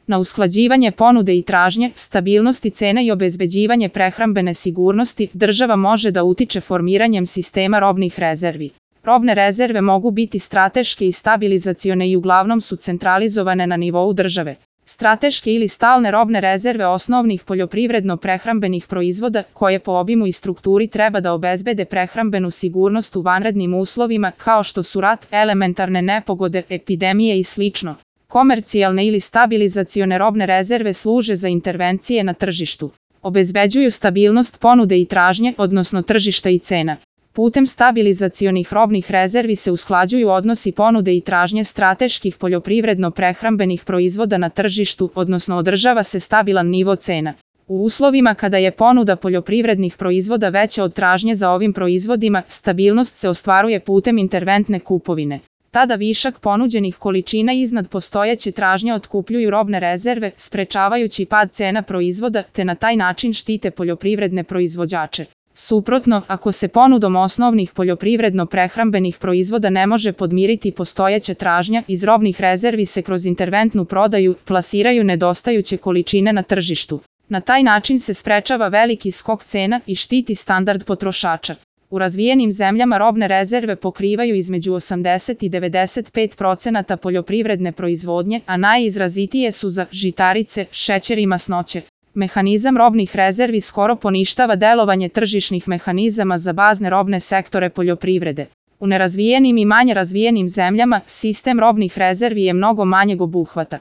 Na usklađivanje ponude i tražnje, stabilnosti cene i obezbeđivanje prehrambene sigurnosti, država može da utiče formiranjem sistema robnih rezervi. Robne rezerve mogu biti strateške i stabilizacione i uglavnom su centralizovane na nivou države. Strateške ili stalne robne rezerve osnovnih poljoprivredno-prehrambenih proizvoda, koje po obimu i strukturi treba da obezbede prehrambenu sigurnost u vanrednim uslovima, kao što su rat, elementarne nepogode, epidemije i sl. Komercijalne ili stabilizacione robne rezerve služe za intervencije na tržištu. Obezbeđuju stabilnost ponude i tražnje, odnosno tržišta i cena. Putem stabilizacionih robnih rezervi se usklađuju odnosi ponude i tražnje strateških poljoprivredno-prehrambenih proizvoda na tržištu, odnosno održava se stabilan nivo cena. U uslovima kada je ponuda poljoprivrednih proizvoda veća od tražnje za ovim proizvodima, stabilnost se ostvaruje putem interventne kupovine. Tada višak ponuđenih količina iznad postojeće tražnje otkupljuju robne rezerve, sprečavajući pad cena proizvoda, te na taj način štite poljoprivredne proizvođače. Suprotno, ako se ponudom osnovnih poljoprivredno-prehrambenih proizvoda ne može podmiriti postojeća tražnja, iz robnih rezervi se kroz interventnu prodaju plasiraju nedostajuće količine na tržištu. Na taj način se sprečava veliki skok cena i štiti standard potrošača. U razvijenim zemljama robne rezerve pokrivaju između 80 i 95% poljoprivredne proizvodnje, a najizrazitije su za žitarice, šećer i masnoće. Mehanizam robnih rezervi skoro poništava delovanje tržišnih mehanizama za bazne robne sektore poljoprivrede. U nerazvijenim i manje razvijenim zemljama sistem robnih rezervi je mnogo manjeg obuhvata.